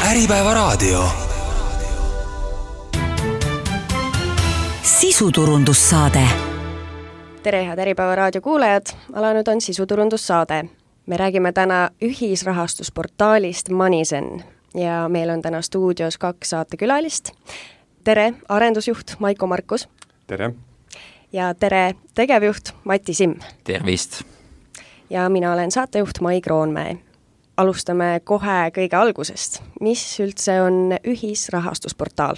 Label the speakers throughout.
Speaker 1: Äripäevaraadio. Sisuturundussaade.
Speaker 2: Tere, head Äripäevaraadio kuulajad! Alanud on sisuturundussaade. Me räägime täna ühisrahastusportaalist Moneyzen ja meil on täna stuudios 2 saatekülalist. Tere, arendusjuht Maiko Markus.
Speaker 3: Tere.
Speaker 2: Ja tere, tegevjuht Mati Simm.
Speaker 4: Tervist.
Speaker 2: Ja mina olen saatejuht Mai Kroonmäe. Alustame kohe kõige algusest. Mis üldse on ühisrahastusportaal?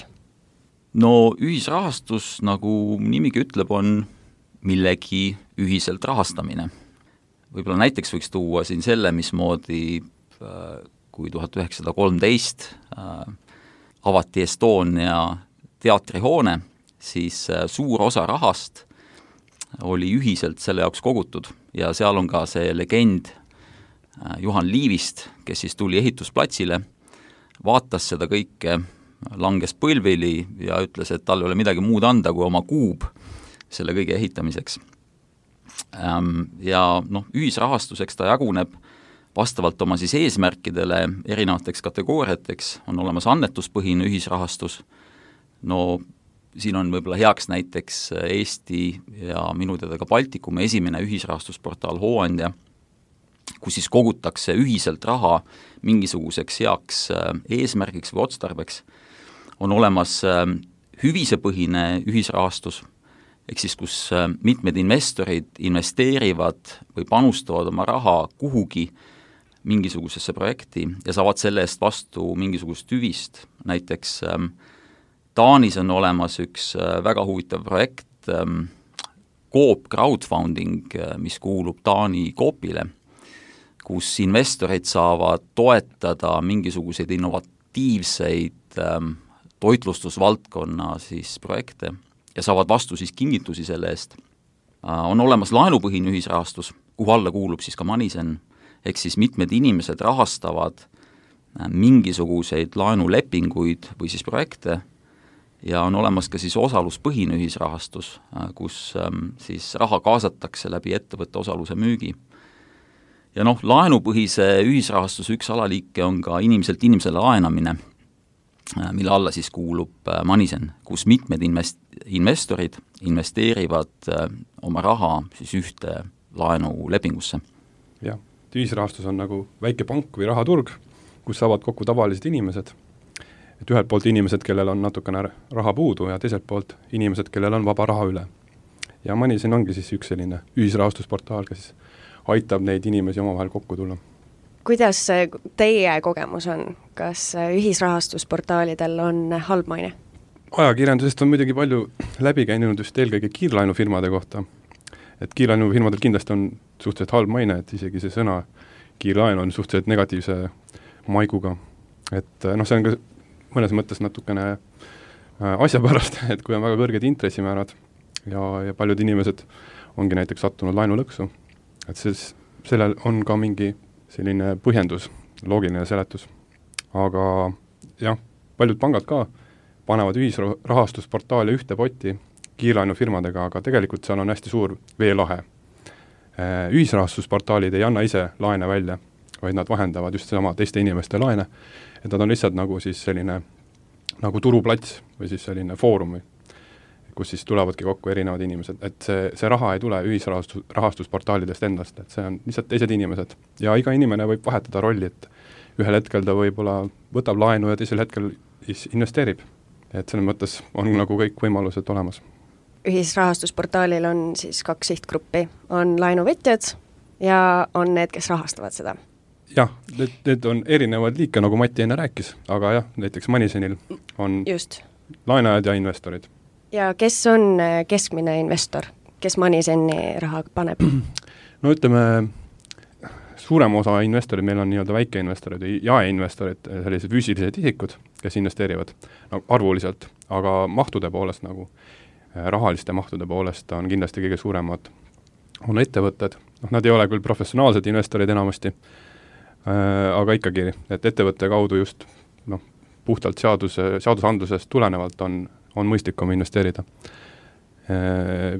Speaker 4: No ühisrahastus, nagu nimigi ütleb, on millegi ühiselt rahastamine. Võib-olla näiteks võiks tuua siin selle, mismoodi kui 1913 avati Estonia teatrihoone, siis suur osa rahast oli ühiselt selle jaoks kogutud ja seal on ka see legend Juhan Liivist, kes siis tuli ehitusplatsile, vaatas seda kõike, langes põlvili ja ütles, et tal ei ole midagi muud anda kui oma kuub selle kõige ehitamiseks. Ja ühisrahastuseks ta jaguneb vastavalt oma siis eesmärkidele erinevateks kategooriateks, on olemas annetuspõhine ühisrahastus. Siin on võib-olla heaks näiteks Eesti ja minu teada ka Baltikumi esimene ühisrahastusportaal Hooandja, kus siis kogutakse ühiselt raha mingisuguseks heaks eesmärgiks või otstarbeks. On olemas hüvisepõhine ühisrahastus, ehk siis kus mitmed investorid investeerivad või panustavad oma raha kuhugi mingisugusesse projekti ja saavad selle eest vastu mingisugust hüvist. Näiteks Taanis on olemas üks väga huvitav projekt, Coop crowdfunding, mis kuulub Taani Coopile, kus investorid saavad toetada mingisuguseid innovatiivseid toitlustusvaldkonna siis projekte ja saavad vastu siis kingitusi selle eest. On olemas laenupõhine ühisrahastus, kuhu alla kuulub siis ka Moneyzen, ehk siis mitmed inimesed rahastavad mingisuguseid laenulepinguid või siis projekte ja on olemas ka siis osaluspõhine ühisrahastus, kus siis raha kaasatakse läbi ettevõtte osaluse müügi. Ja laenupõhise ühisrahastuse üks alaliike on ka inimeselt inimesele laenamine, mille alla siis kuulub Moneyzen, kus mitmed investorid investeerivad oma raha siis ühte laenulepingusse.
Speaker 3: Jah, ühisrahastus on nagu väike pank või rahaturg, kus saavad kokku tavalised inimesed. Et ühelt poolt inimesed, kellel on natukene raha puudu ja teiselt poolt inimesed, kellel on vaba raha üle. Ja Moneyzen ongi siis üks selline ühisrahastusportaal, kes aitab neid inimesi omavahel kokku tulla.
Speaker 2: Kuidas teie kogemus on? Kas ühisrahastusportaalidel on halb maine?
Speaker 3: Ajakirjandusest on muidugi palju läbi käinud just eelkõige kiirlainufirmade kohta. Et kiirlainufirmadel kindlasti on suhteliselt halb maine, et isegi see sõna kiirlain on suhteliselt negatiivse maiguga. Et see on ka mõnes mõttes natukene asja pärast, et kui on väga kõrged intressimäärad ja paljud inimesed ongi näiteks sattunud lainulõksu, et sellel on ka mingi selline põhjendus, loogiline seletus. Aga jah, paljud pangad ka panevad ühisrahastusportaali ühte potti kiirlainufirmadega, aga tegelikult seal on hästi suur veelahe. Ühisrahastusportaalid ei anna ise laene välja, vaid nad vahendavad just sama teiste inimeste laene, et nad on lihtsalt nagu siis selline nagu turuplats või siis selline foorum, kus siis tulevadki kokku erinevad inimesed, et see raha ei tule ühisrahastusportaalidest endast, et see on lihtsalt teised inimesed. Ja iga inimene võib vahetada rolli, et ühel hetkel ta võib-olla võtab laenu ja teisel hetkel investeerib. Et selles mõttes on nagu kõik võimalused olemas.
Speaker 2: Ühisrahastusportaalil on siis 2 sihtgruppi. On laenuvõtjad ja on need, kes rahastavad seda.
Speaker 3: Jah, need on erinevad liike, nagu Mati enne rääkis, aga jah, näiteks Moneyzenil on just laenajad ja investorid.
Speaker 2: Ja kes on keskmine investor, kes Moneyseni raha paneb?
Speaker 3: No ütleme, suurem osa investorid, meil on nii-öelda väikeinvestorid ja jaeinvestorid, sellised füüsilised isikud, kes investeerivad arvuliselt, aga mahtude poolest nagu rahaliste mahtude poolest on kindlasti kõige suuremad on ettevõtted. Nad ei ole küll professionaalsed investorid enamasti, aga ikkagi, et ettevõtte kaudu just puhtalt seadusandlusest tulenevalt on mõistlikum investeerida.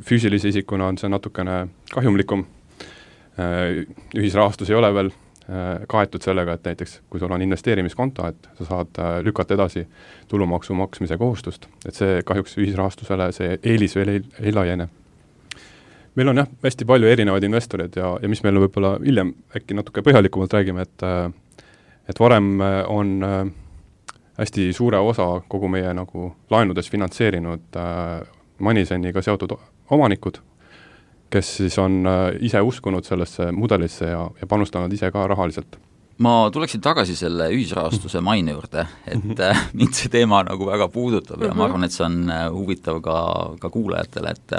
Speaker 3: Füüsilise isikuna on see natukene kahjumlikum. Ühisrahastus ei ole veel kaetud sellega, et näiteks kui sul on investeerimiskonto, et sa saad lükata edasi tulumaksu maksmise kohustust, et see kahjuks ühisrahastusele see eelis veel ei laiene. Meil on hästi palju erinevaid investoreid ja mis meil võib-olla hiljem äkki natuke põhjalikumalt räägime, et varem on hästi suure osa kogu meie nagu laenudes finantseerinud Moniseniga seotud omanikud, kes siis on ise uskunud sellesse mudelisse ja panustanud ise ka rahaliselt.
Speaker 4: Ma tuleksin tagasi selle ühisrahastuse maine juurde, et mind see teema nagu väga puudutab ja ma arvan, et see on huvitav ka kuulajatele, et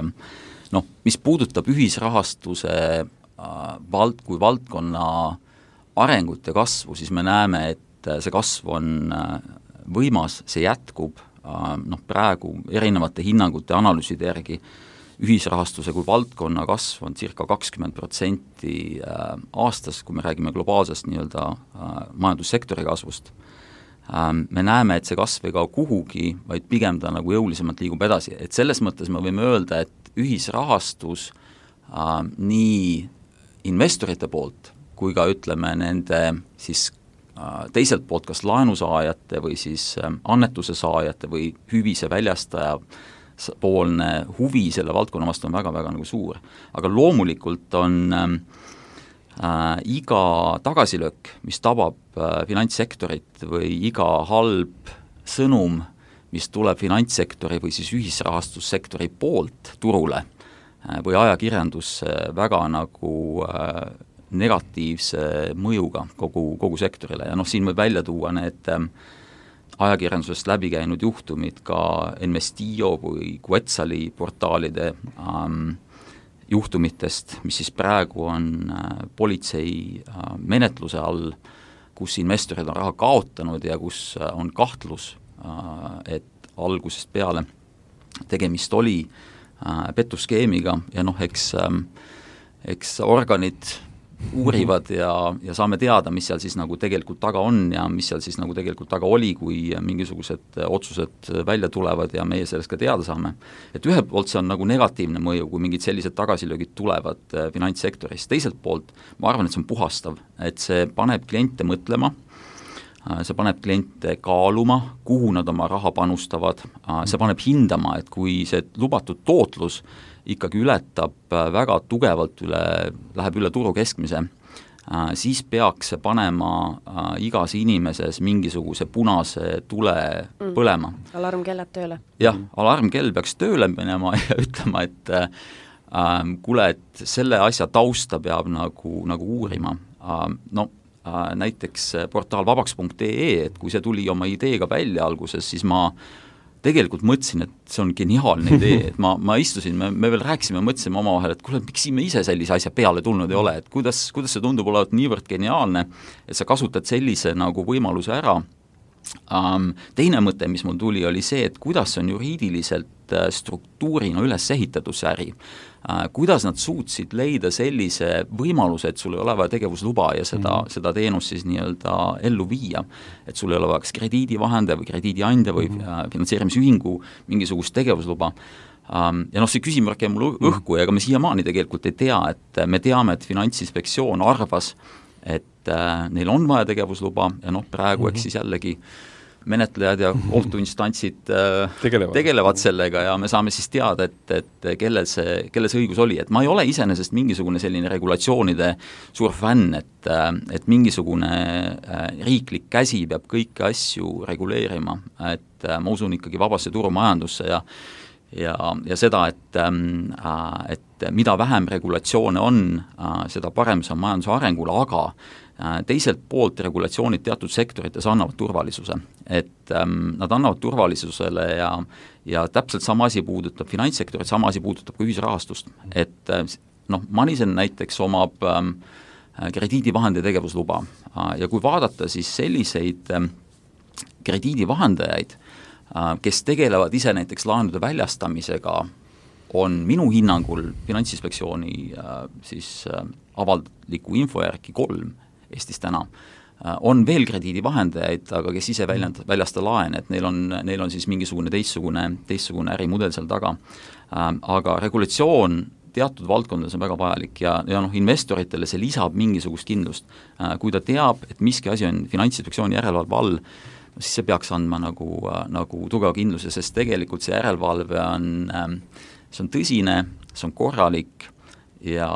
Speaker 4: mis puudutab ühisrahastuse kui valdkonna arengut ja kasvu, siis me näeme, et see kasv on võimas, see jätkub, praegu erinevate hinnangute analüüside järgi ühisrahastuse kui valdkonna kasv on circa 20% aastas, kui me räägime globaalsest nii-öelda majandussektori kasvust. Me näeme, et see kasv ei kao kuhugi, vaid pigem ta nagu jõulisemalt liigub edasi, et selles mõttes me võime öelda, et ühisrahastus nii investorite poolt kui ka ütleme nende siis teiselt poolt kas laenusaajate või siis annetuse saajate või hüvise väljastaja poolne huvi selle valdkonna vastu on väga-väga nagu suur. Aga loomulikult on iga tagasilöök, mis tabab finantssektorit või iga halb sõnum, mis tuleb finantssektori või siis ühisrahastussektori poolt turule või ajakirjandusse väga nagu negatiivse mõjuga kogu sektorile ja siin võib välja tuua need ajakirjandusest läbi käinud juhtumid ka Investio või Quetzali portaalide juhtumitest, mis siis praegu on politsei menetluse all, kus investorid on raha kaotanud ja kus on kahtlus, et algusest peale tegemist oli petuskeemiga ja eks organid uurivad ja saame teada, mis seal siis nagu tegelikult taga on ja mis seal siis nagu tegelikult taga oli, kui mingisugused otsused välja tulevad ja meie sellest ka teada saame. Et ühelt poolt see on nagu negatiivne mõju, kui mingid sellised tagasilöögid tulevad finantssektoris. Teiselt poolt ma arvan, et see on puhastav, et see paneb kliente mõtlema, see paneb kliente kaaluma, kuhu nad oma raha panustavad, see paneb hindama, et kui see lubatud tootlus ikkagi ületab väga tugevalt läheb üle turu keskmise, siis peaks see panema igas inimeses mingisuguse punase tule põlema.
Speaker 2: Alarmkellad tööle.
Speaker 4: Jah, alarmkell peaks tööle minema ja ütlema, et kuule, et selle asja tausta peab nagu uurima. Näiteks portaal vabaks.ee, et kui see tuli oma ideega välja alguses, siis ma tegelikult mõtlesin, et see on geniaalne idee, et ma istusin, me veel rääkisime, mõtlesime omavahel, et kuule, miks me ise sellise asja peale tulnud ei ole, et kuidas see tundub olevat niivõrd geniaalne, et sa kasutad sellise nagu võimaluse ära. Teine mõte, mis mul tuli, oli see, et kuidas on juriidiliselt struktuurina üles ehitatud see äri. Kuidas nad suutsid leida sellise võimaluse, et sul ei ole vaja tegevusluba ja seda teenust siis nii-öelda ellu viia. Et sul ei ole vaja krediidivahendaja või krediidiandja või finantseerimisühingu mingisugust tegevusluba. Ja see küsimärk jäi mul õhku ja ega me siiamaani tegelikult ei tea, et me teame, et Finantsinspektsioon arvas, et neil on vaja tegevusluba ja praegu eks siis jällegi menetlejad ja kohtuinstantsid tegelevad sellega ja me saame siis teada, et kellel see õigus oli. Et ma ei ole iseenesest mingisugune selline regulatsioonide suur fänn, et mingisugune riiklik käsi peab kõiki asju reguleerima, et ma usun ikkagi vabasse turumajandusse ja seda, et mida vähem regulatsioone on, seda parem see on majanduse arengule, aga teiselt poolt regulatsioonid teatud sektorites annavad turvalisuse, et nad annavad turvalisusele ja täpselt sama asi puudutab finantssektorit, sama asi puudutab ka ühisrahastust, et Monisen näiteks omab krediidivahendi tegevusluba ja kui vaadata siis selliseid krediidivahendajaid, kes tegelevad ise näiteks laenude väljastamisega, on minu hinnangul Finantsinspektsiooni siis avaldliku info järgi 3 Eestis täna. On veel krediidivahendajaid, aga kes ise väljasta laen, et neil on siis mingisugune teistsugune ärimudel seal taga. Aga regulatsioon teatud valdkondades on väga vajalik ja investoritele see lisab mingisugust kindlust. Kui ta teab, et miski asi on Finantsinspektsiooni järelevalve all, siis see peaks andma nagu tugeva kindluse, sest tegelikult see järelevalve see on tõsine, see on korralik ja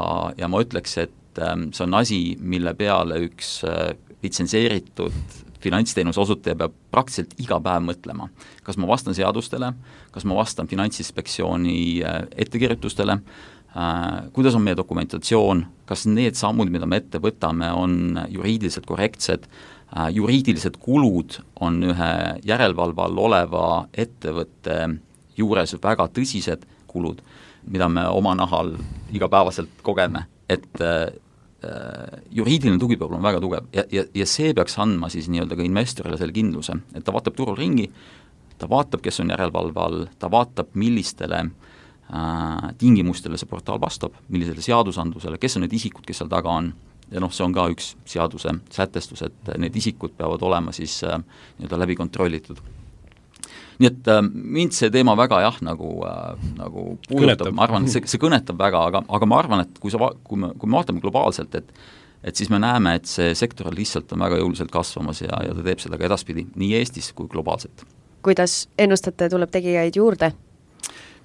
Speaker 4: ma ütleks, et see on asi, mille peale üks litsenseeritud finantsteenuse osutaja peab praktiliselt iga päev mõtlema. Kas ma vastan seadustele, kas ma vastan Finantsinspektsiooni ettekirjutustele, kuidas on meie dokumentatsioon, kas need sammud, mida me ette võtame, on juriidiliselt korrektsed, juriidilised kulud on ühe järelevalve all oleva ettevõtte juures väga tõsised kulud, mida me oma nahal igapäevaselt kogeme, et juriidiline tugi peab olema väga tugev ja see peaks andma siis nii-öelda ka investorile selle kindluse, et ta vaatab turul ringi, ta vaatab, kes on järelevalve all, ta vaatab, millistele tingimustele see portaal vastab, millisele seadusandlusele, kes on need isikud, kes seal taga on ja see on ka üks seaduse sätestus, et need isikud peavad olema siis nii-öelda läbi kontrollitud. Nii et mind see teema väga nagu puudutab, ma arvan, et see kõnetab väga, aga ma arvan, et kui me vaatame globaalselt, et siis me näeme, et see sektor lihtsalt on väga jõuliselt kasvamas ja ta teeb seda ka edaspidi, nii Eestis kui globaalselt.
Speaker 2: Kuidas ennustate, tuleb tegijaid juurde?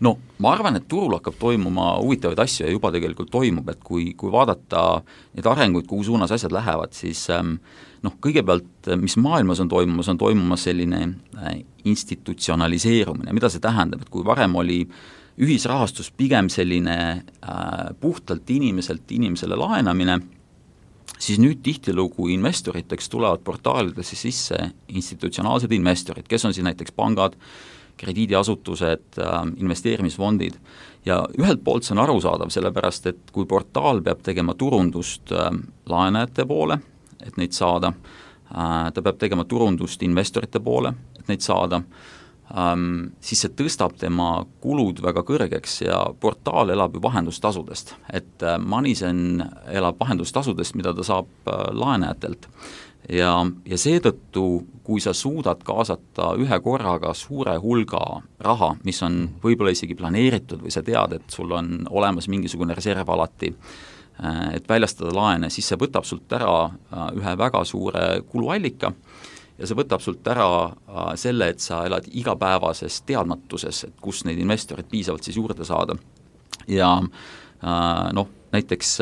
Speaker 4: No ma arvan, et turul hakkab toimuma huvitavaid asju ja juba tegelikult toimub, et kui vaadata neid arenguid, kuhu suunas asjad lähevad, siis kõigepealt, mis maailmas on toimumas selline institutsionaliseerumine, mida see tähendab, et kui varem oli ühisrahastus pigem selline puhtalt inimesele laenamine, siis nüüd tihtilugu investoriteks tulevad portaalidesse sisse institutsionaalsed investorid, kes on siis näiteks pangad, krediidiasutused, investeerimisfondid ja ühelt poolt see on arusaadav, sellepärast et kui portaal peab tegema turundust laenajate poole, et neid saada, ta peab tegema turundust investorite poole, et neid saada, siis see tõstab tema kulud väga kõrgeks ja portaal elab ju vahendustasudest, et Moneyzen elab vahendustasudest, mida ta saab laenajatelt ja seetõttu, kui sa suudad kaasata ühe korraga suure hulga raha, mis on võib-olla isegi planeeritud või sa tead, et sul on olemas mingisugune reserv alati, et väljastada laene, siis see võtab sult ära ühe väga suure kuluallika ja see võtab sult ära selle, et sa elad igapäevases teadmatuses, et kus neid investorid piisavalt siis juurde saada. Ja näiteks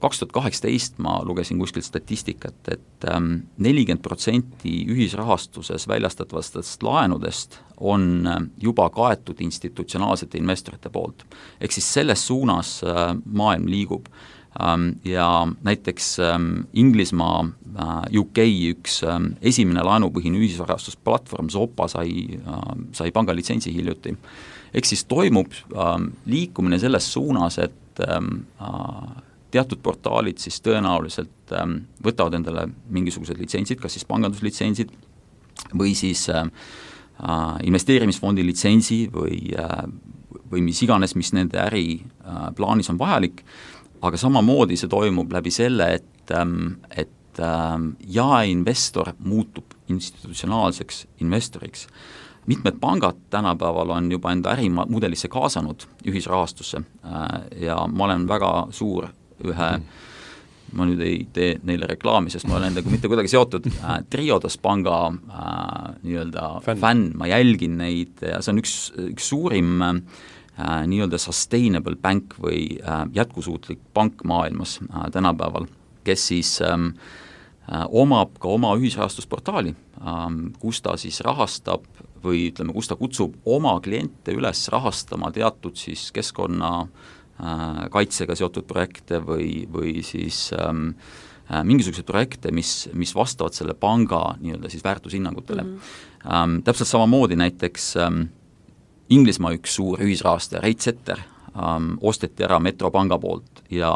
Speaker 4: 2018 ma lugesin kuskilt statistikat, et 40% ühisrahastuses väljastatavastest laenudest on juba kaetud institutsionaalsete investorite poolt. Ehk siis selles suunas maailm liigub ja näiteks Inglismaa UK üks esimene laenupõhine ühisrahastusplatvorm Zopa sai pangalitsentsi hiljuti. Ehk siis toimub liikumine selles suunas, et teatud portaalid siis tõenäoliselt võtavad endale mingisugused litsentsid, kas siis panganduslitsentsid või siis investeerimisfondi litsentsi või mis iganes, mis nende äri plaanis on vajalik, aga samamoodi see toimub läbi selle, et jaeinvestor muutub institutsionaalseks investoriks. Mitmed pangad tänapäeval on juba enda ärimudelisse kaasanud ühisrahastusse ja ma olen väga suur ma nüüd ei tee neile reklaami, sest ma olen endaga mitte kuidagi seotud, Triodos panga nii-öelda fänn, ma jälgin neid ja see on üks suurim nii-öelda sustainable bank või jätkusuutlik pank maailmas tänapäeval, kes siis omab ka oma ühisrahastusportaali, kus ta siis rahastab või ütleme, kus ta kutsub oma kliente üles rahastama teatud siis keskkonna kaitsega seotud projekte või siis mingisuguseid projekte, mis vastavad selle panga nii-öelda siis väärtushinnangutele. Täpselt samamoodi näiteks Inglismaa üks suur ühisrahastaja, Reitsetter, osteti ära Metropanga poolt ja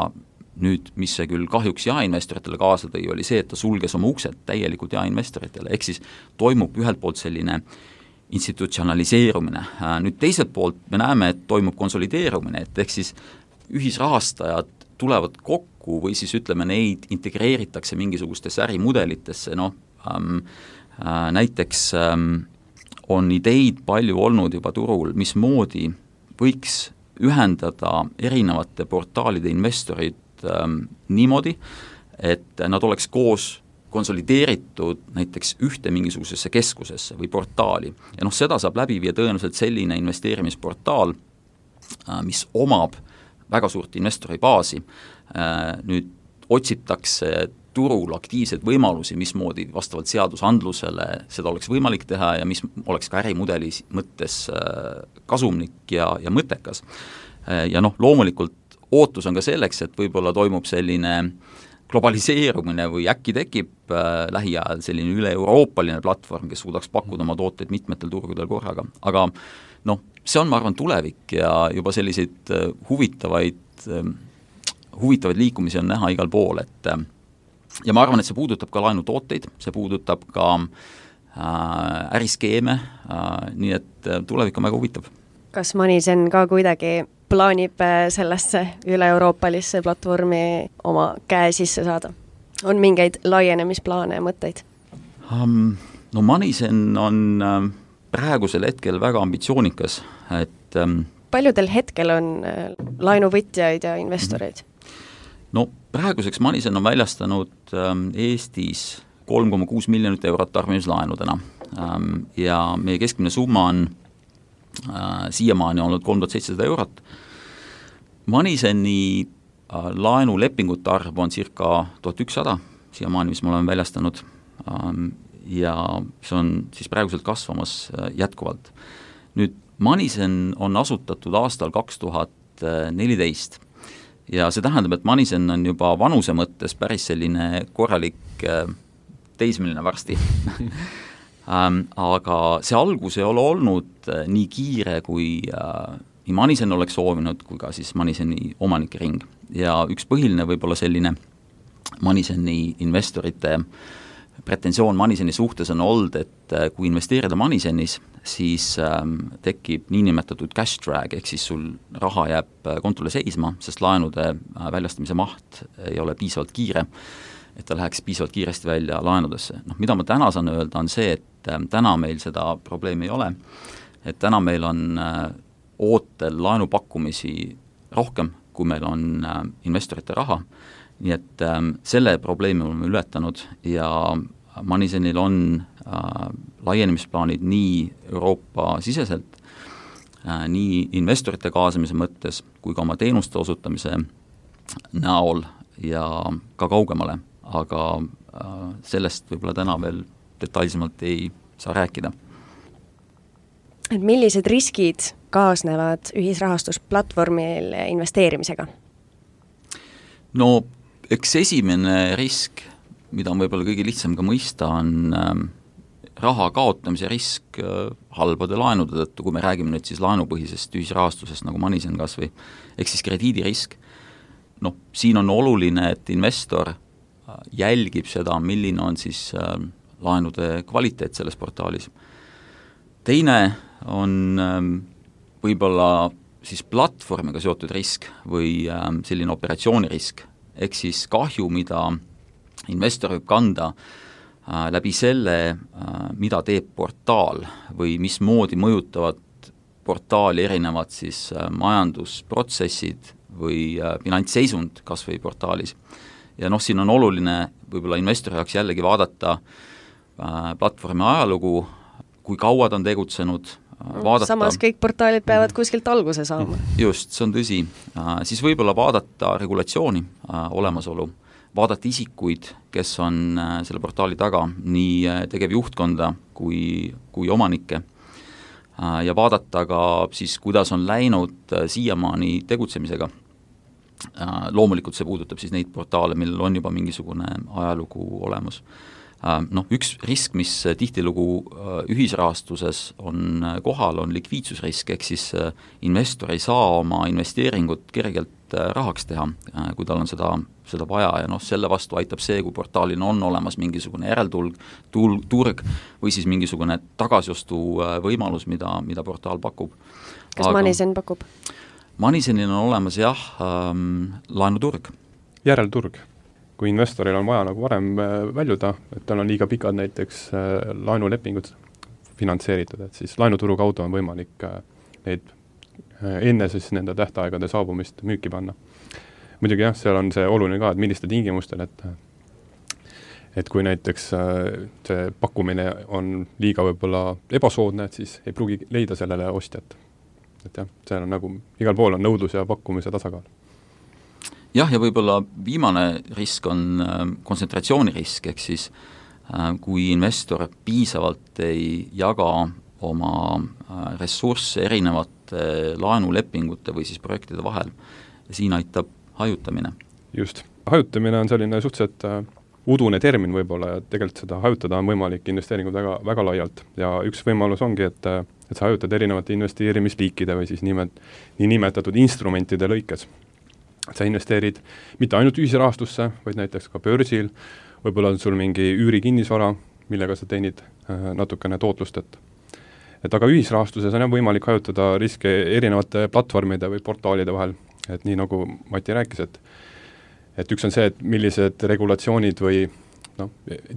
Speaker 4: nüüd, mis see küll kahjuks jaeinvestoritele kaasa tõi, oli see, et ta sulges oma uksed täielikult jaeinvestoritele, ehk siis toimub ühelt poolt selline institutsionaliseerumine. Nüüd teiselt poolt me näeme, et toimub konsolideerumine, et ehk siis ühisrahastajad tulevad kokku või siis ütleme, neid integreeritakse mingisugustesse ärimudelitesse, näiteks on ideid palju olnud juba turul, mismoodi võiks ühendada erinevate portaalide investorid niimoodi, et nad oleks koos konsolideeritud näiteks ühte mingisugusesse keskusesse või portaali. Ja seda saab läbi viia tõenäoliselt selline investeerimisportaal, mis omab väga suurt investori baasi. Nüüd otsitakse turul aktiivseid võimalusi, mismoodi vastavalt seadusandlusele seda oleks võimalik teha ja mis oleks ka ärimudeli mõttes kasumlik ja mõttekas. Ja loomulikult ootus on ka selleks, et võib-olla toimub selline globaliseerumine või äkki tekib lähiajal selline üle-euroopaline platvorm, kes suudaks pakkuda oma tooteid mitmetel turgudel korraga. Aga see on, ma arvan, tulevik ja juba selliseid huvitavaid liikumisi on näha igal pool, et ja ma arvan, et see puudutab ka laenutooteid, see puudutab ka äriskeeme, nii et tulevik on väga huvitav.
Speaker 2: Kas Moneyzen ka kuidagi plaanib sellesse üle-euroopalisse platvormi oma käe sisse saada? On mingeid laienemisplaane ja mõtteid?
Speaker 4: Moneyzen on praegusel hetkel väga ambitsioonikas, et
Speaker 2: paljudel hetkel on laenuvõtjaid ja investoreid?
Speaker 4: Praeguseks Moneyzen on väljastanud Eestis 3,6 miljonit eurot tarbimislaenudena ja meie keskmine summa on siiamaani olnud 3700 eurot. Moneyseni laenulepingute arv on circa 1100 siiamaani, mis me oleme väljastanud ja see on siis praeguselt kasvamas jätkuvalt. Nüüd Moneyzen on asutatud aastal 2014 ja see tähendab, et Moneyzen on juba vanuse mõttes päris selline korralik teismeline varsti. Aga see algus ei ole olnud nii kiire, kui nii Moneyzen oleks soovinud, kui ka siis Moneyseni omanike ring. Ja üks põhiline võib-olla selline Moneyseni investorite pretensioon Moneyseni suhtes on olnud, et kui investeerida Moneysenis, siis tekib niinimetatud cash drag, ehk siis sul raha jääb kontole seisma, sest laenude väljastamise maht ei ole piisavalt kiire, et ta läheks piisavalt kiiresti välja laenudesse. Mida ma täna saan öelda, on see, et täna meil seda probleemi ei ole, et täna meil on ootel laenupakkumisi rohkem, kui meil on investorite raha, nii et selle probleemi oleme ületanud ja Moneyzenil on laienemisplaanid nii Euroopa siseselt, nii investorite kaasamise mõttes, kui ka oma teenuste osutamise näol ja ka kaugemale, aga sellest võib-olla täna veel detailsemalt ei saa rääkida.
Speaker 2: Et millised riskid kaasnevad ühisrahastusplatvormil investeerimisega?
Speaker 4: Eks esimene risk, mida on võib-olla kõige lihtsam ka mõista, on raha kaotamise risk halbade laenude tõttu, kui me räägime nüüd siis laenupõhisest ühisrahastusest nagu Moneyzen kas või, ehk siis krediidirisk. Siin on oluline, et investor jälgib seda, milline on siis laenude kvaliteet selles portaalis. Teine on võib-olla siis platvormiga seotud risk või selline operatsioonirisk, ehk siis kahju, mida investor võib kanda läbi selle, mida teeb portaal või mismoodi mõjutavad portaali erinevad siis majandusprotsessid või finantsseisund kas või portaalis. Ja siin on oluline võib-olla investori jaoks jällegi vaadata platvormi ajalugu, kui kaua ta on tegutsenud, vaadata.
Speaker 2: Samas kõik portaalid peavad kuskilt alguse saama.
Speaker 4: Just, see on tõsi. Siis võib-olla vaadata regulatsiooni olemasolu, vaadata isikuid, kes on selle portaali taga, nii tegevjuhtkonda kui omanikke, ja vaadata ka siis, kuidas on läinud siiamaani tegutsemisega. Loomulikult see puudutab siis neid portaale, millel on juba mingisugune ajalugu olemas. Üks risk, mis tihtilugu ühisrahastuses on kohal, on likviidsusrisk, ehk siis investor ei saa oma investeeringut kergelt rahaks teha, kui tal on seda vaja ja selle vastu aitab see, kui portaalil on olemas mingisugune järelturg või siis mingisugune tagasiostu võimalus, mida portaal pakub.
Speaker 2: Kas Moneyzen pakub?
Speaker 4: Moneyzenil on olemas laenuturg.
Speaker 3: Järelturg. Kui investoril on vaja nagu varem väljuda, et tal on liiga pikad näiteks laenulepingud finantseeritud, et siis laenuturu kaudu on võimalik neid enne siis nende tähtaegade saabumist müüki panna. Muidugi jah, seal on see oluline ka, et milliste tingimustel, et kui näiteks see pakkumine on liiga võib-olla ebasoodne, et siis ei pruugi leida sellele ostjat. Et jah, see on nagu, igal pool on nõudlus ja pakkumise tasakaal.
Speaker 4: Jah, ja võib-olla viimane risk on kontsentratsioonirisk, ehk siis kui investor piisavalt ei jaga oma ressursse erinevate laenulepingute või siis projektide vahel, siin aitab hajutamine.
Speaker 3: Just. Hajutamine on selline suhteliselt udune termin võib-olla, ja tegelikult seda hajutada on võimalik investeeringud väga, väga laialt. Ja üks võimalus ongi, et sa hajutad erinevate investeerimisliikide või siis nimetatud instrumentide lõikes. Sa investeerid mitte ainult ühisrahastusse, vaid näiteks ka börsil, võib-olla on sul mingi üürikinnisvara, millega sa teenid natukene tootlust, et aga ühisrahastuses on võimalik hajutada riske erinevate platvormide või portaalide vahel, et nii nagu Mati rääkis, et üks on see, et millised regulatsioonid või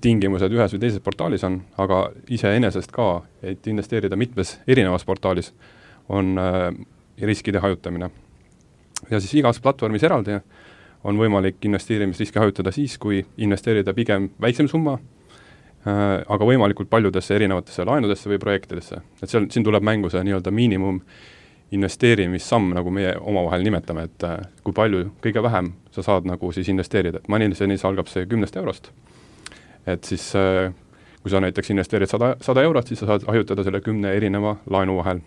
Speaker 3: tingimused ühes või teises portaalis on, aga iseenesest ka, et investeerida mitmes erinevas portaalis, on riskide hajutamine. Ja siis igas platvormis eraldi on võimalik investeerimisriski hajutada siis, kui investeerida pigem väiksem summa, aga võimalikult paljudesse erinevatesse laenudesse või projektidesse. Et siin tuleb mängu see nii-öelda miinimum investeerimissamm, nagu meie omavahel nimetame, et kui palju, kõige vähem sa saad nagu siis investeerida. Et Moneysenis algab see 10 eurost. Et siis, kui sa näiteks investeerid 100 eurot, siis sa saad hajutada selle 10 erineva laenu vahel.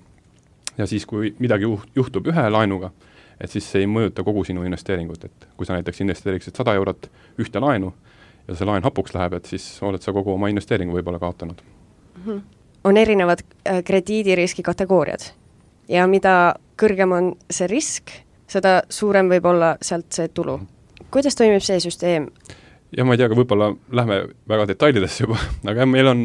Speaker 3: Ja siis, kui midagi juhtub ühe laenuga, et siis see ei mõjuta kogu sinu investeeringut, et kui sa näiteks investeeriksid 100 eurot ühte laenu ja see laen hapuks läheb, et siis oled sa kogu oma investeeringu võib-olla kaotanud.
Speaker 2: On erinevad krediidiriski kategooriad ja mida kõrgem on see risk, seda suurem võib olla sealt see tulu. Kuidas toimib see süsteem?
Speaker 3: Ja ma ei tea, aga võib-olla lähme väga detailidesse juba, aga meil on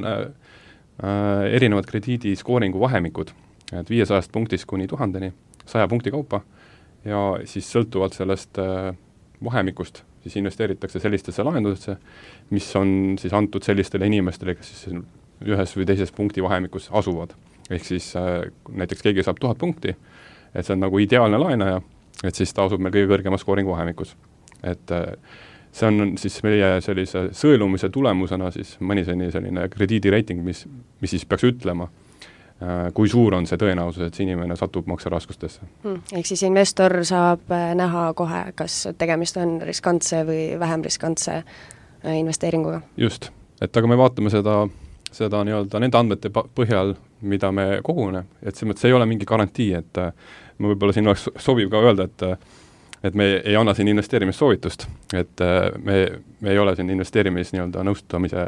Speaker 3: erinevad krediidiskooringu vahemikud, et 500 punktist kuni 1000-ni, 100 punkti kaupa, ja siis sõltuvalt sellest vahemikust siis investeeritakse sellistesse laenudesse, mis on siis antud sellistele inimestele, kes siis ühes või teises punkti vahemikus asuvad. Ehk siis näiteks keegi saab 1000 punkti, et see on nagu ideaalne laenaja, et siis ta asub meil kõige kõrgema skooringu vahemikus. Et see on siis meie sellise sõelumise tulemusena siis Moneyseni selline krediidireiting, mis siis peaks ütlema, kui suur on see tõenäosus, et see inimene satub makseraskustesse.
Speaker 2: Ehk siis investor saab näha kohe, kas tegemist on riskantse või vähem riskantse investeeringuga.
Speaker 3: Just, et aga me vaatame seda nii-öelda nende andmete põhjal, mida me kogune, et see ei ole mingi garantii, et ma võib-olla siin oleks sobiv ka öelda, et me ei anna siin investeerimissoovitust, et me ei ole siin investeerimis nii-öelda nõustamise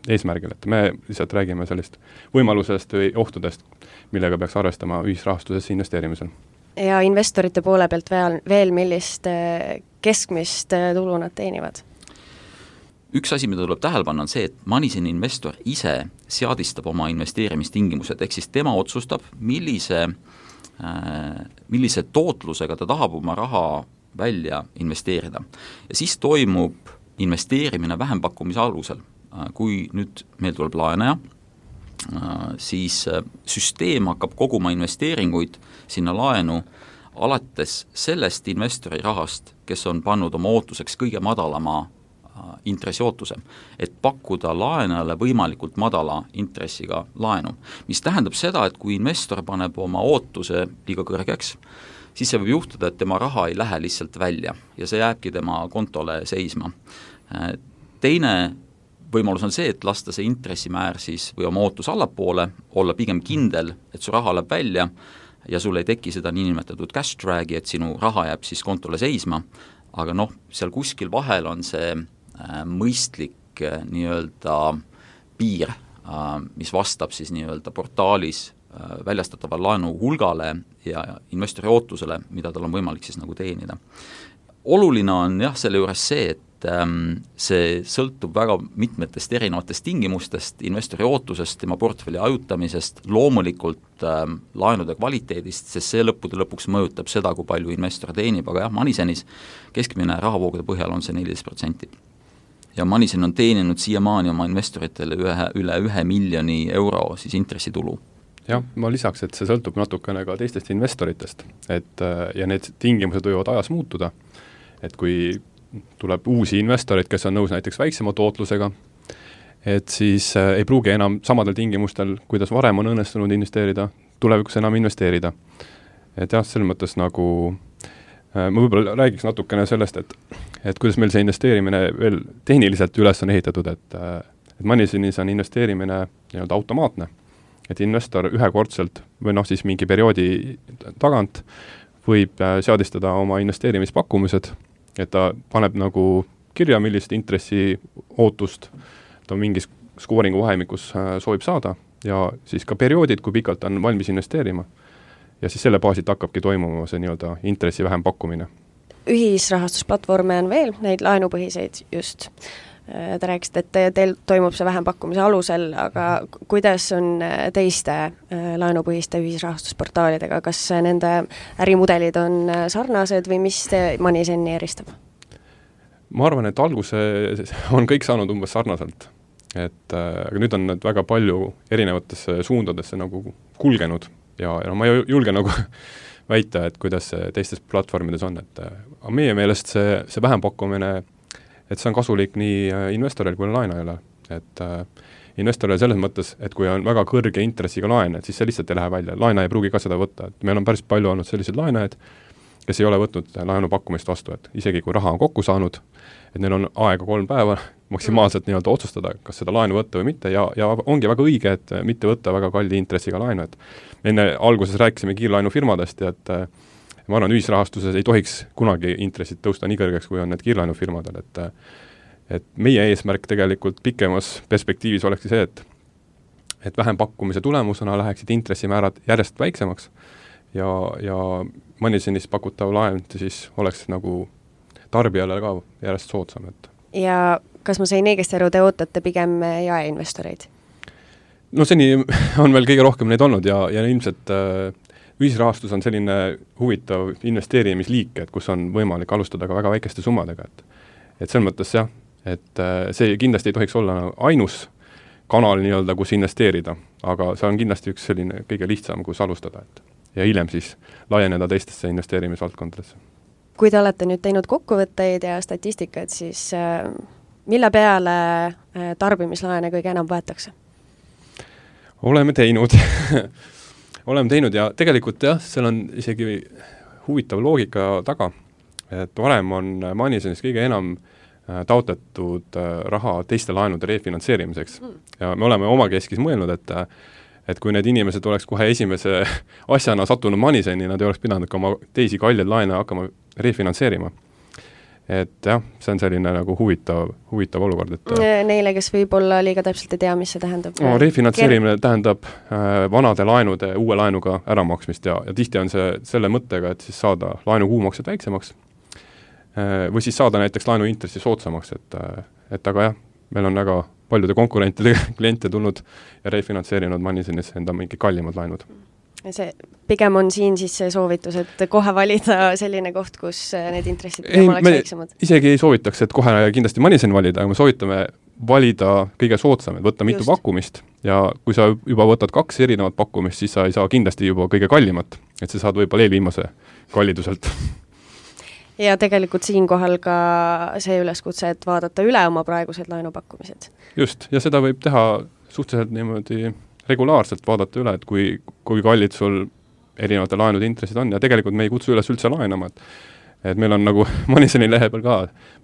Speaker 3: eesmärgil, et me lihtsalt räägime sellist võimalusest või ohtudest, millega peaks arvestama ühisrahastusesse investeerimisel.
Speaker 2: Ja investorite poole pealt veel millist keskmist tulu nad teenivad?
Speaker 4: Üks asi, mida tuleb tähele panna, on see, et Moneyseni investor ise seadistab oma investeerimistingimused, ehk siis tema otsustab, millise tootlusega ta tahab oma raha välja investeerida. Ja siis toimub investeerimine vähempakkumise alusel. Kui nüüd meil tuleb laenaja, siis süsteem hakkab koguma investeeringuid sinna laenu alates sellest investori rahast, kes on pannud oma ootuseks kõige madalama intressiootusem, et pakkuda laenajale võimalikult madala intressiga laenu. Mis tähendab seda, et kui investor paneb oma ootuse liiga kõrgeks, siis see võib juhtuda, et tema raha ei lähe lihtsalt välja ja see jääbki tema kontole seisma. Teine võimalus on see, et lasta see intressimäär siis või oma ootus allapoole, olla pigem kindel, et su raha läheb välja ja sul ei teki seda niinimetatud cash drag'i, et sinu raha jääb siis kontole seisma, aga seal kuskil vahel on see mõistlik nii-öelda piir, mis vastab siis nii-öelda portaalis väljastatava laenu hulgale ja investori ootusele, mida tal on võimalik siis nagu teenida. Oluline on selle juures see, et see sõltub väga mitmetest erinevatest tingimustest, investori ootusest, tema portfelli ajutamisest, loomulikult laenude kvaliteedist, sest see lõppude lõpuks mõjutab seda, kui palju investor teenib, aga Moneysenis keskmine rahavoogude põhjal on see 14%. Ja Moneysen on teeninud siiamaani oma investoritele üle 1 miljoni euro siis intressitulu.
Speaker 3: jah, ma lisaks, et see sõltub natukene ka teistest investoritest, et ja need tingimused võivad ajas muutuda, et kui tuleb uusi investoreid, kes on nõus näiteks väiksema tootlusega, et siis ei pruugi enam samadel tingimustel, kuidas varem on õnnestunud investeerida, tulevikus enam investeerida. Et jah, selles mõttes nagu ma võib-olla räägiks natukene sellest, et kuidas meil see investeerimine veel tehniliselt üles on ehitatud, et Moneyzenis on investeerimine nii-öelda automaatne, et investor ühekordselt või siis mingi perioodi tagant võib seadistada oma investeerimispakkumised, et ta paneb nagu kirja, millist intressi ootust ta mingis skooringu vahemikus soovib saada ja siis ka perioodid, kui pikalt on valmis investeerima. Ja siis selle baasilt hakkabki toimuma see nii-öelda intressi vähem pakkumine.
Speaker 2: Ühisrahastusplatvorme on veel, neid laenupõhiseid just. Te rääkisite, et teil toimub see vähempakkumise alusel, aga kuidas on teiste laenupõhiste ühisrahastusportaalidega? Kas nende ärimudelid on sarnased või mis te Moneyzeni eristab?
Speaker 3: Ma arvan, et alguses on kõik saanud umbes sarnaselt. Aga nüüd on need väga palju erinevatesse suundadesse nagu kulgenud ja ma ei julge nagu väita, et kuidas see teistes platvormides on. Aga meie meelest see vähempakkumine, et see on kasulik nii investoril kui laenajale. Et investoril selles mõttes, et kui on väga kõrge intressiga laen, et siis see lihtsalt ei lähe välja. Laenaja ei pruugi ka seda võtta. Et meil on päris palju olnud sellised laenajad, kes ei ole võtnud laenupakkumist vastu, et isegi kui raha on kokku saanud, et neil on aega 3 päeva maksimaalselt nii-öelda otsustada, kas seda laenu võtta või mitte ja ongi väga õige, et mitte võtta väga kalli intressiga laenu, et enne alguses rääkisime kiirlaenufirmadest ja et ma arvan, ühisrahastuses ei tohiks kunagi intressid tõusta nii kõrgeks, kui on need kiirlaenufirmadel, et meie eesmärk tegelikult pikemas perspektiivis olekski see, et vähem pakkumise tulemusena läheksid intressimäärad järjest väiksemaks ja Moneyzenis pakutav laen siis oleks nagu tarbijale ka järjest soodsam.
Speaker 2: Ja kas ma sain õigesti aru, te ootate pigem jaeinvestoreid?
Speaker 3: No seni on veel kõige rohkem neid olnud ja ilmselt ühisrahastus on selline huvitav investeerimisliik, et kus on võimalik alustada ka väga väikeste summadega. Et selles mõttes jah, et see kindlasti ei tohiks olla ainus kanal nii-öelda, kus investeerida, aga see on kindlasti üks selline kõige lihtsam, kus alustada. Ja hiljem siis laieneda teistesse investeerimisvaldkondadesse.
Speaker 2: Kui te olete nüüd teinud kokkuvõtteid ja statistikat, siis mille peale tarbimislaene kõige enam võetakse?
Speaker 3: Oleme teinud. Oleme teinud ja tegelikult jah, seal on isegi huvitav loogika taga, et varem on Moneyzenis kõige enam taotletud raha teiste laenude refinantseerimiseks. Ja me oleme omakeskis mõelnud, et kui need inimesed oleks kohe esimese asjana sattunud Moneyzeni, nad ei oleks pidanud ka oma teisi kalleid laene hakkama refinantseerima. Et jah, see on selline nagu huvitav olukord.
Speaker 2: Neile, kes võib-olla liiga täpselt ei tea, mis see tähendab?
Speaker 3: Refinantseerimine tähendab vanade laenude uue laenuga äramaksmist ja tihti on see selle mõttega, et siis saada laenu kuumaksed väiksemaks või siis saada näiteks laenu intressi soodsamaks, et aga jah, meil on väga paljude konkurentide kliente tulnud ja refinantseerinud Moneyzenis enda mingi kallimad laenud.
Speaker 2: See pigem on siin siis see soovitus, et kohe valida selline koht, kus need intressid oleks väiksemad?
Speaker 3: Isegi ei soovitaks, et kohe kindlasti Moneyzen valida, aga me soovitame valida kõige soodsam, et võtta mitu pakkumist ja kui sa juba võtad 2 erinevat pakkumist, siis sa ei saa kindlasti juba kõige kallimat, et sa saad võib-olla eelviimase kalliduselt.
Speaker 2: Ja tegelikult siinkohal ka see üleskutse, et vaadata üle oma praegused laenupakkumised.
Speaker 3: Just, ja seda võib teha suhteliselt niimoodi regulaarselt vaadata üle, et kui kallid sul erinevate laenude intressid on ja tegelikult me ei kutsu üles üldse laenama, et meil on nagu Moneyzeni lehe peal ka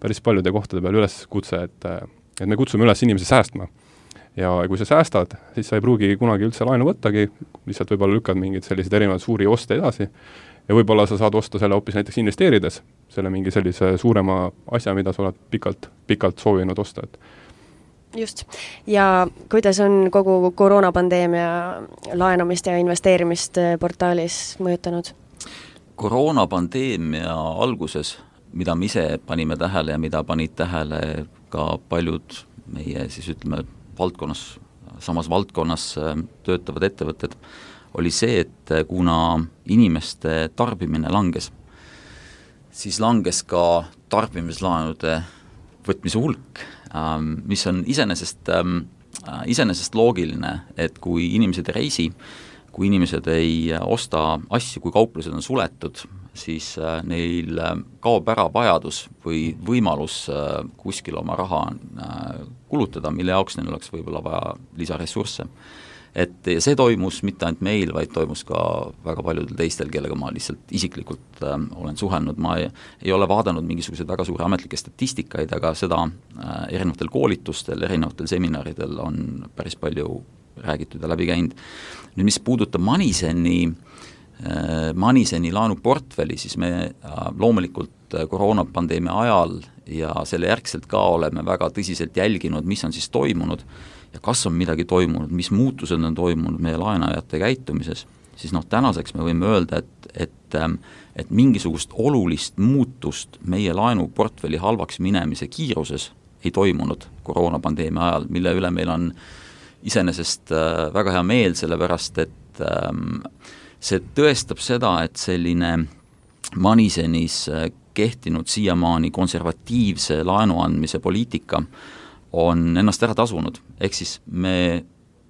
Speaker 3: päris paljude kohtade peal üles kutse, et me kutsume üles inimesi säästma. Ja kui sa säästad, siis sa ei pruugi kunagi üldse laenu võttagi, lihtsalt võib-olla lükkad mingid sellised erinevad suuri oste edasi ja võib-olla sa saad osta selle hoopis näiteks investeerides, selle mingi sellise suurema asja, mida sa oled pikalt soovinud osta.
Speaker 2: Just. Ja kuidas on kogu koroonapandeemia laenamist ja investeerimist portaalis mõjutanud?
Speaker 4: Koroonapandeemia alguses, mida me ise panime tähele ja mida panid tähele ka paljud meie siis ütleme samas valdkonnas töötavad ettevõtted, oli see, et kuna inimeste tarbimine langes, siis langes ka tarbimislaenude võtmise hulk, mis on iseenesest loogiline, et kui inimesed ei reisi, kui inimesed ei osta asju, kui kauplused on suletud, siis neil kaob ära vajadus või võimalus kuskil oma raha kulutada, mille jaoks neil oleks võib-olla vaja lisaressursse. Et see toimus mitte ainult meil, vaid toimus ka väga paljudel teistel, kellega ma lihtsalt isiklikult olen suhelnud. Ma ei ole vaadanud mingisuguseid väga suuri ametlikke statistikaid, aga seda erinevatel koolitustel, erinevatel seminaridel on päris palju räägitud ja läbi käinud. Nüüd, mis puudutab Maniseni laenuportfelli, siis me loomulikult koroonapandeemia ajal ja selle järgselt ka oleme väga tõsiselt jälginud, mis on siis toimunud ja kas on midagi toimunud, mis muutused on toimunud meie laenajate käitumises, siis tänaseks me võime öelda, et mingisugust olulist muutust meie laenuportfelli halvaks minemise kiiruses ei toimunud koroonapandeemia ajal, mille üle meil on iseenesest väga hea meel, sellepärast et see tõestab seda, et selline Manisenis kehtinud siiamaani konservatiivse laenu andmise poliitika on ennast ära tasunud. Ehk siis me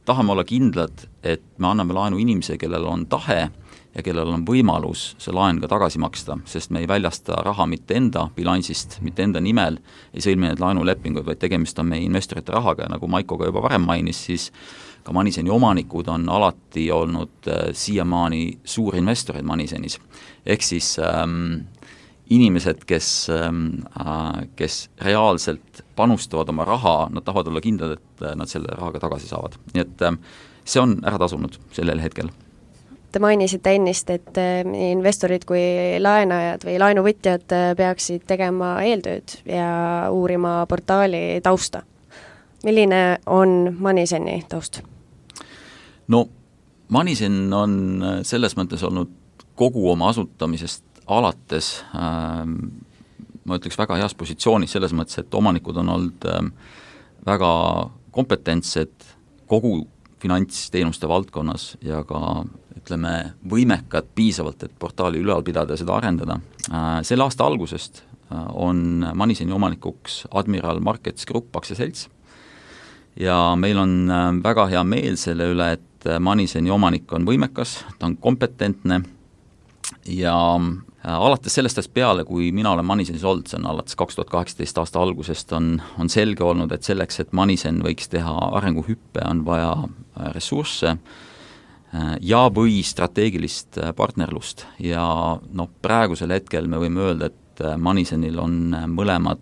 Speaker 4: tahame olla kindlad, et me anname laenu inimese, kellel on tahe ja kellel on võimalus see laen ka tagasi maksta, sest me ei väljasta raha mitte enda bilansist, mitte enda nimel, ei sõlmi need laenulepingud, vaid tegemist on meie investorite rahaga ja nagu Maiko ka juba varem mainis, siis ka Maniseni omanikud on alati olnud siiamaani suurinvestorid Manisenis. Ehk siis inimesed, kes reaalselt panustavad oma raha, nad tahavad olla kindlad, et nad selle rahaga tagasi saavad. Nii et see on ära tasunud sellel hetkel.
Speaker 2: Te mainisite ennist, et nii investorid kui laenajad või laenuvõtjad peaksid tegema eeltööd ja uurima portaali tausta. Milline on Maniseni taust?
Speaker 4: No, Manisen on selles mõttes olnud kogu oma asutamisest alates, ma ütleks väga heas positsioonis selles mõttes, et omanikud on olnud väga kompetentsed kogu finantsteenuste valdkonnas ja ka ütleme võimekad piisavalt, et portaali ülal pidada ja seda arendada. Selle aasta algusest on Maniseni omanikuks Admiral Markets Group aktsiaselts ja meil on väga hea meel selle üle, et Maniseni omanik on võimekas, ta on kompetentne ja alates sellest ajast peale, kui mina olen Manisenis olnud, see on alates 2018 aasta algusest, on selge olnud, et selleks, et Manisen võiks teha arenguhüppe, on vaja ressursse ja või strateegilist partnerlust ja praegusel hetkel me võime öelda, et Manisenil on mõlemad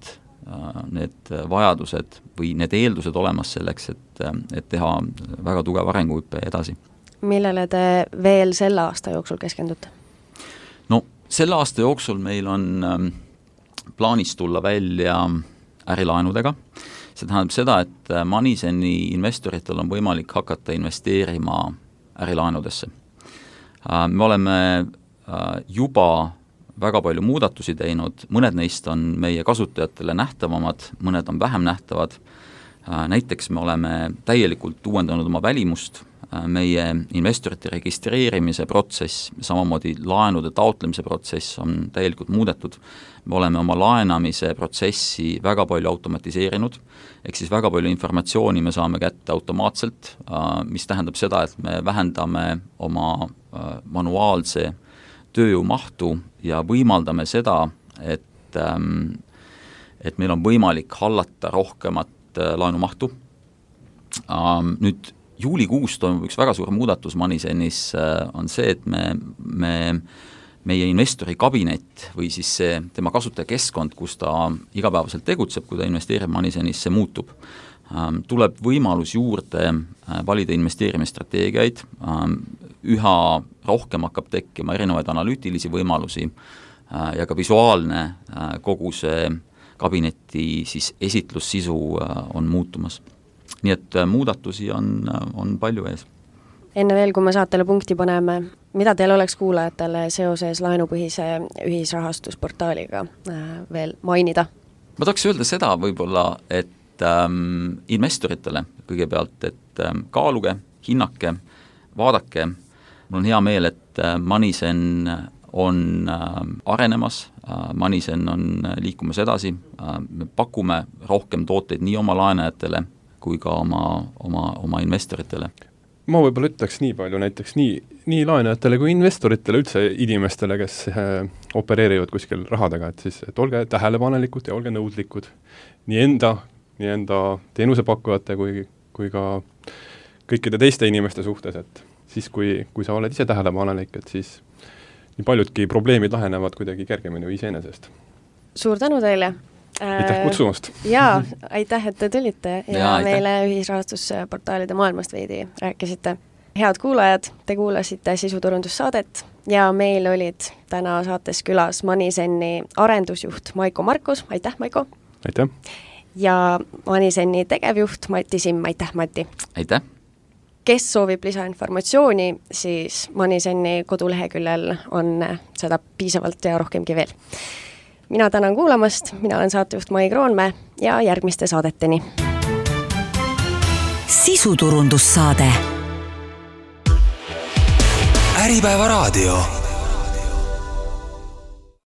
Speaker 4: need vajadused või need eeldused olemas selleks, et teha väga tugev arenguhüppe edasi.
Speaker 2: Millele te veel selle aasta jooksul keskendute?
Speaker 4: Selle aasta jooksul meil on plaanis tulla välja ärilaenudega. See tähendab seda, et Maniseni investoritel on võimalik hakata investeerima ärilaenudesse. Me oleme juba väga palju muudatusi teinud, mõned neist on meie kasutajatele nähtavamad, mõned on vähem nähtavad. Näiteks me oleme täielikult uuendanud oma välimust, meie investorite registreerimise protsess, samamoodi laenude taotlemise protsess on täielikult muudetud. Me oleme oma laenamise protsessi väga palju automatiseerinud, ehk siis väga palju informatsiooni me saame kätte automaatselt, mis tähendab seda, et me vähendame oma manuaalse tööjõu mahtu ja võimaldame seda, et meil on võimalik hallata rohkemat laenumahtu. Nüüd juulikuus toimub üks väga suur muudatus Manisenis on see, et meie investori kabinet või siis see tema kasutajakeskkond, kus ta igapäevaselt tegutseb, kui ta investeerib Manisenis, see muutub. Tuleb võimalus juurde valida investeerimisstrateegiaid, üha rohkem hakkab tekkima erinevaid analüütilisi võimalusi ja ka visuaalne kogu see kabineti siis esitlussisu on muutumas. Nii et muudatusi on palju ees.
Speaker 2: Enne veel, kui me saatele punkti paneme, mida teil oleks kuulajatele seoses laenupõhise ühisrahastusportaaliga veel mainida?
Speaker 4: Ma tahaks öelda seda võib-olla, et investoritele kõigepealt, et kaaluge, hinnake, vaadake. Mul on hea meel, et Manisen on arenemas, Manisen on liikumas edasi, me pakume rohkem tooteid nii oma laenajatele kui ka oma investoritele.
Speaker 3: ma võib-olla ütleks nii palju näiteks nii laenajatele kui investoritele, üldse inimestele, kes opereerivad kuskil rahadega, et siis et olge tähelepanelikud ja olge nõudlikud nii enda teenusepakkujate kui ka kõikide teiste inimeste suhtes, et siis, kui sa oled ise tähelepanelik, et siis nii paljudki probleemid lahenevad kuidagi kergemini või iseenesest.
Speaker 2: Suur tänu teile!
Speaker 3: Aitäh kutsumast!
Speaker 2: Jaa, aitäh, et te tulite ja
Speaker 4: aitäh.
Speaker 2: meile ühisrahastusportaalide maailmast veidi rääkisite. Head kuulajad, te kuulasite sisuturundussaadet ja meil olid täna saates külas Moneyzenni arendusjuht Maiko Markus, aitäh Maiko!
Speaker 3: Aitäh!
Speaker 2: Ja Moneyzenni tegevjuht Mati Simm, aitäh Mati!
Speaker 4: Aitäh!
Speaker 2: Kes soovib lisainformatsiooni, siis Moneyzenni koduleheküljel on seda piisavalt ja rohkemgi veel. Mina tänan kuulamast, mina olen saatejuht Mai Kroonmäe ja järgmiste saadeteni.
Speaker 1: Sisuturundussaade.
Speaker 5: Äripäeva raadio.